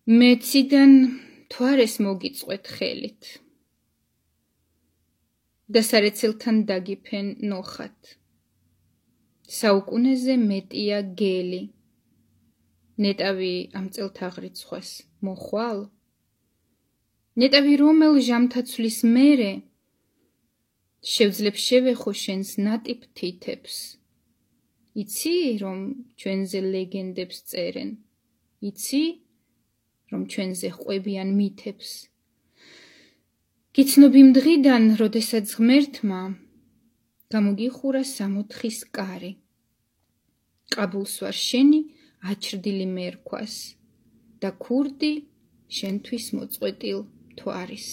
მეციდან თვარეს მოგიწყვეთ ხელით და სარეცელთან დაგიფენ ნოხად. საუკუნეზე მეტია გელი, ნეტავი ამ წელთაღრიცხვას მოხვალ, ნეტავი რომელ ჟამთაცვლის მერე შევძლებ შევეხო შენს ნატიფ თითებს. იცი, რომ ჩვენზე ლეგენდებს წერენ, იცი, რომ ჩვენზე ყვებიან მითებს. გიცნობ იმ დღიდან, როდესაც ღმერთმა გამოგიხურა 64 კარი. ყაბულს ვარ შენი აჩრდილი მერქვას და ქურდი შენთვის მოწყვეტილ მთვარის.